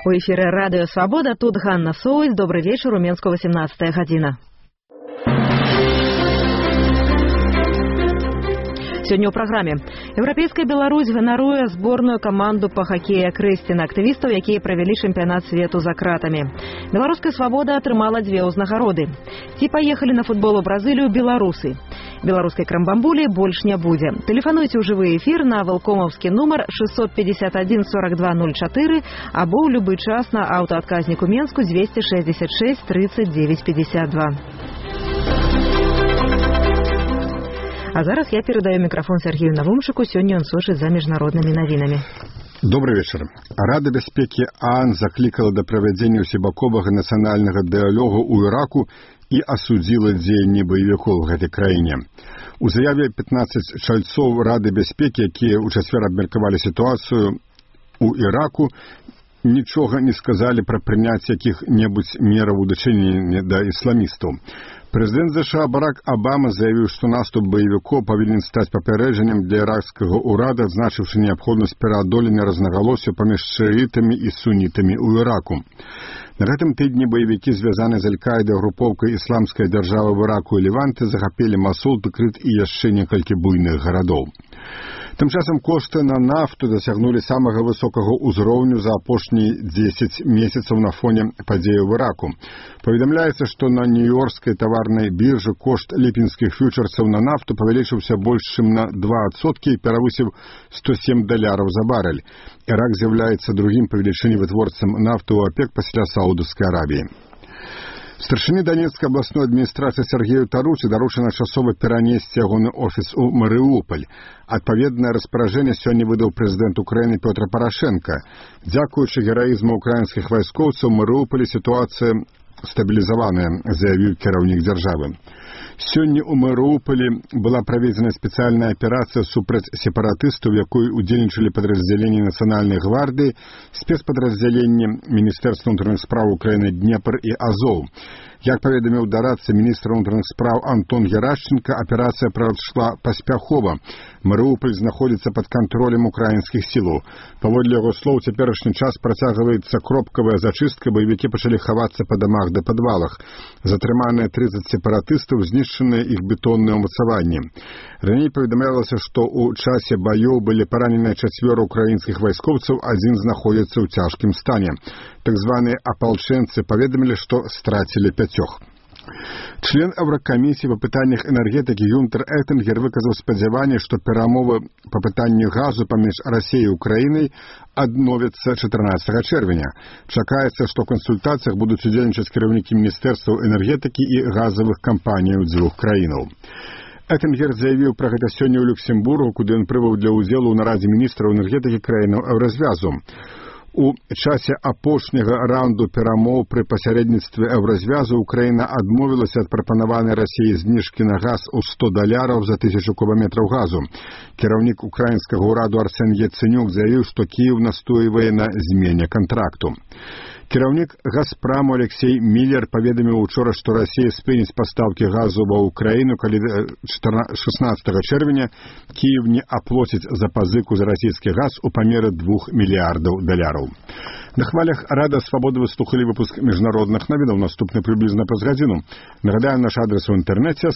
У эфире «Радио Свобода». Тут Ганна Соусь. Добрый вечер. У Менску 18 година. Сегодня ў праграме. Еўрапейская Беларусь ганаруе зборную каманду па хакея Крэсціна, актывістаў, якія правялі чэмпіянат свету за кратамі. Беларуская свабода атрымала 2 ўзнагароды. Ці паехалі на футбол у Бразылію беларусы. Беларускай крамбамбулі больш не будзе. Тэлефануйце ў жывы эфір на валкомаўскі нумар 651 4204 або ў любы час на аўтаадказніку Менску 266 39 52. А зараз я передаю микрофон Сергею Навумчику. Сегодня он слушает за международными новинами. Добрый вечер. Рада бяспекі ААН закликала до проведения всебакового национального диалога у Ираку и осудила дзеянні боевиков в этой краине. У заяве 15 чальцов Рады бяспекі, якія ў чацвер абмеркавалі ситуацию у Ираку, нічога не сказали про прыняцце якіх-небудзь мераў у дачыненні да ісламістаў. Президент США Барак Обама заявил, что наступ боевиков повинен стать попереджением для иракского урада, означивший необходимость переодоления разноголосия поміж шиитами и суннитами у Ираку. На этом тыдні боевики, связанные с Аль-Каидой групповкой исламской державы в Ираку и Леванте, захопили Масул, Тыкрыт и яшчэ некалькі буйных городов. Тым часам кошты на нафту дасягнулі самага высокага ўзроўню за апошнія 10 месяцаў на фоне падзеяў в Ираку. Паведамляецца, што на нью-йоркскай таварнай біржы кошт ліпенскіх фьючерсаў на нафту павялічыўся больш чым на 2% і перавысіў $107 за барель. Ирак з'яўляецца другім па велічыні вытворцам нафты ў ОПЕК пасля Саудаўскай Аравіі. Старшыні Донецкай абласной адміністрацыі Сергею Таруці даручана часова перанесці ягоны офіс у Марыуполь. Адпаведнае распараджэнне сёння выдаў прэзідэнт Украіны Пётр Парашенка. Дзякуючы гераізму украінскіх вайскоўцаў у Марыуполі сітуацыя стабілізаваная, заявіў кіраўнік дзяржавы. Сёння у Марыуполі была праведзена спецыяльная аперацыя супраць сепаратыстаў, у якой удзельнічалі падраздзяленні Нацыянальнай гвардыі, спецпадраздзяленні Міністэрства ўнутраных спраў Украіны Днепр і Азоў. Як паведаміў дарадца міністра ўнутраных спраў Антон Герашченко, аперацыя прайшла паспяхова. Марыуполь знаходзіцца пад кантролем украінскіх сілаў. Паводле яго слоў, цяперашні час працягваецца кропкавая зачыстка, баевікі пачалі хавацца па дамах ды падвалах. Затрыманыя 30 сепаратыстаў, знішчаныя іх бетонныя ўмацаванні. Раней паведамлялася, што ў часе баёў былі параненыя 4 украінскіх вайскоўцаў, адзін знаходзіцца ў цяжкім стане. Так званыя апалчэнцы паведамілі, што страцілі 5. Член Еврокомиссии по пытаннях энергетики Юнтер Эттингер выказал спадзяванне, что перамовы по пытанню газу паміж Россией и Украиной адновятся 14 чэрвеня. Чакаецца, что в консультациях будут удзельнічаць кіраўнікі Министерства энергетики и газовых компаний двух краінаў. Эттингер заявил про гэта сёння ў Люксембургу, куды он прыбыў для ўдзелу ў нарадзе міністраў энергетики краінаў Еўразвязу. У часе апошняга раунду перамоў пры пасярэдніцтве Еўразвязу Украіна адмовілася ад прапанаванай Расіі зніжкі на газ у $100 за 1000 кубометраў газу. Кіраўнік украінскага ўраду Арсен Яценюк заявіў, што Кіеў настойвае на змене кантракту. Кіраўнік «Газпраму» Алексей Миллер паведаміў учора, што Расія спыніць пастаўкі газу ва Украіну, калі 16 чэрвеня Кіев не аплоціць за пазыку за расійскі газ у памеры $2 мільярдаў. На хвалях Рада Свободы вы слухали выпуск міжнародных навінаў, наступны прыблізна праз гадзіну. Нагадаем, наш адрес у інтэрнэце